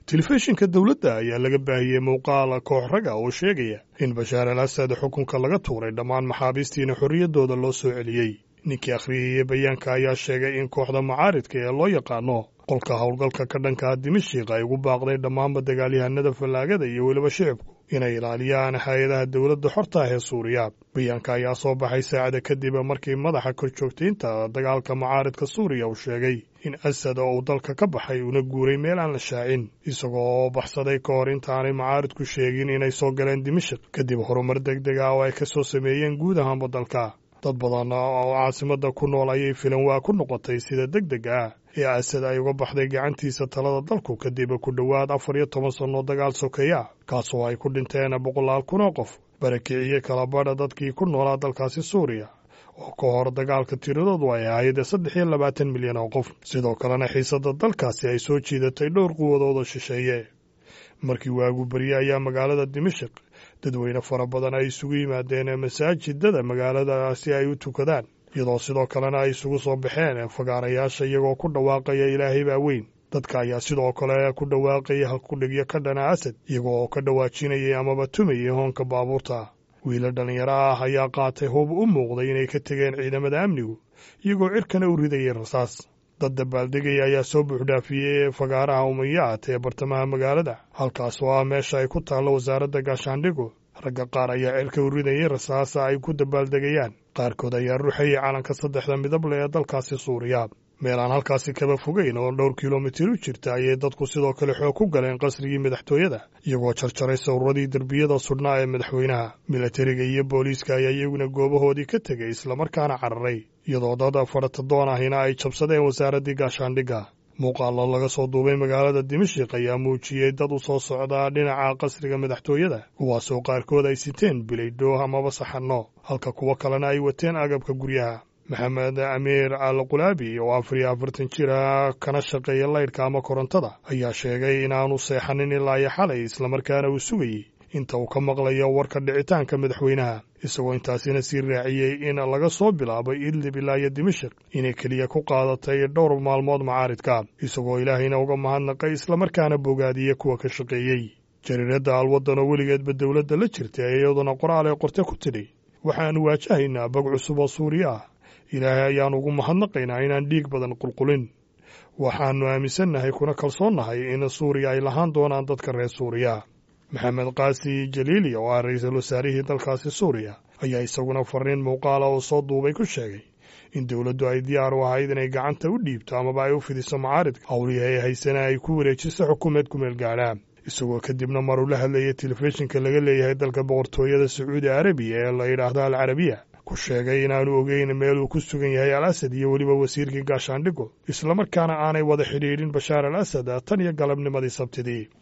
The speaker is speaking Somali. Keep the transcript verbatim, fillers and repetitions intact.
Telefishinka dowladda ayaa laga baahiyey muuqaal koox raga oo sheegaya in Bashaar al Asad xukunka laga tuuray, dhammaan maxaabiistiina xorriyaddooda loo soo celiyey. Ninkii akhriyayey bayaanka ayaa sheegay in kooxda mucaaridka ee loo yaqaano qolka howlgalka ka dhanka Dimashiq ay ugu baaqday dhammaanba dagaalyahanada fallaagada iyo weliba shicibku inay ilaaliyaan hay-adaha dowladda xorta ah ee Suuriya. Bayaanka ayaa soo baxay saacada kadib markii madaxa korjoogtaynta dagaalka mucaaridka Suuriya uu sheegay in Asad oo uu dalka ka baxay una guuray meel aan la shaacin, isagoo baxsaday ka hor intaanay mucaaridku sheegin inay soo galeen Dimashik kadib horumar deg deg ah oo ay ka soo sameeyeen guud ahaanba dalka. Dad badan oo caasimada ku nool ayay filan waa ku noqotay sida deg deg ah ee Asad ay uga baxday gacantiisa talada dalku kadib ku dhowaad afar iyo toban sanno dagaal sokeeya, kaasoo ay ku dhinteen boqolaal kun oo qof, barakiciye kala badha dadkii ku noolaa dalkaasi Suuriya oo ka hor dagaalka tiradoodu ay ahayd saddex iyo labaatan milyan oo qof. Sidoo kalena xiisadda dalkaasi ay soo jiidatay dhowr quwadood oo shisheeye. Markii waagu berye ayaa magaalada Dimashik dadweyne fara badan ay isugu yimaadeen masaajidada magaalada si ay u tukadaan, iyadoo sidoo kalena ay isugu soo baxeen fagaarayaasha iyagoo ku dhawaaqaya "Ilaahay baa weyn". Dadka ayaa sidoo kale ku dhawaaqaya halkudhigyo ka dhana Asad, iyagoo ka dhawaajinayay amaba tumayay hoonka baabuurta. Wiila dhallinyaro ah ayaa qaatay hub u muuqday inay ka tegeen ciidamada amnigu, iyagoo cirkana u ridayay rasaas. Dad dabaaldegaya ayaa soo buuxdhaafiyey fagaaraha Umayaat ee bartamaha magaalada, halkaas oo ah meesha ay ku taallo wasaaradda gaashaandhigu. Ragga qaar ayaa cirka u ridayay rasaasa ay ku dabaaldegayaan, qaarkood ayaa ruxayay calanka saddexda midable ee dalkaasi Suuriya. Meel aan halkaasi kaba fogeyn oo dhowr kilomitir u jirta ayay dadku sidoo kale xoog ku galeen qasrigii madaxtooyada, iyagoo jarjaray sawirradii derbiyada sudhnaa ee madaxweynaha. Milatariga iyo booliiska ayaa iyaguna goobahoodii ka tegay islamarkaana cararay, iyadoo dad faratadoon ahina ay jabsadeen wasaaraddii gaashaandhigga. Muuqaallo laga soo duubay magaalada Dimashik ayaa muujiyey dad u soo socdaa dhinaca qasriga madaxtooyada, kuwaasoo qaarkood ay siteen bilaydho amaba saxanno, halka kuwo kalena ay wateen agabka guryaha. Maxamed Amiir al Qulaabi oo afar iyo afartan jir ah kana shaqeeya laydhka ama korontada ayaa sheegay inaanu seexanin ilaa iyo xalay, islamarkaana uu sugayey inta uu ka maqlayo warka dhicitaanka madaxweynaha, isagoo intaasina sii raaciyey in laga soo bilaabay Idlib ilaa iyo Dimashik inay keliya ku qaadatay dhowr maalmood macaaridka, isagoo Ilaahayna uga mahadnaqay islamarkaana bogaadiyey kuwa ka shaqeeyey. Jariiradda Alwaddan oo weligeedba dowladda la jirtay iyaduna qoraal ay qorte ku tidhi: "Waxaannu waajahaynaa bog cusub oo Suuriya ah. Ilaahay ayaan ugu mahadnaqaynaa inaan dhiig badan qulqulin. Waxaannu aaminsannahay kuna kalsoonnahay in Suuriya ay lahaan doonaan dadka reer Suuriya." Maxamed Qaasi Jaliili oo ah ra-iisul wasaarihii dalkaasi Suuriya ayaa isaguna fariin muuqaala oo soo duubay ku sheegay in dowladdu ay diyaar u ahayd inay gacanta u dhiibto amaba ay u fidiso mucaaridka howlihii ay haysana ay ku wareejiso xukuumeed kumeel gaadha, isagoo kadibna maruu la hadlayay telefishinka laga leeyahay dalka Boqortooyada Sacuudi Arabiya ee la yidhaahdo Al Carabiya ku sheegay inaanu ogeyn meel uu ku sugan yahay Al Asad iyo weliba wasiirkii gaashaandhigo, islamarkaana aanay wada xidhiidhin Bashaar al Asad tan iyo galabnimadii Sabtidii.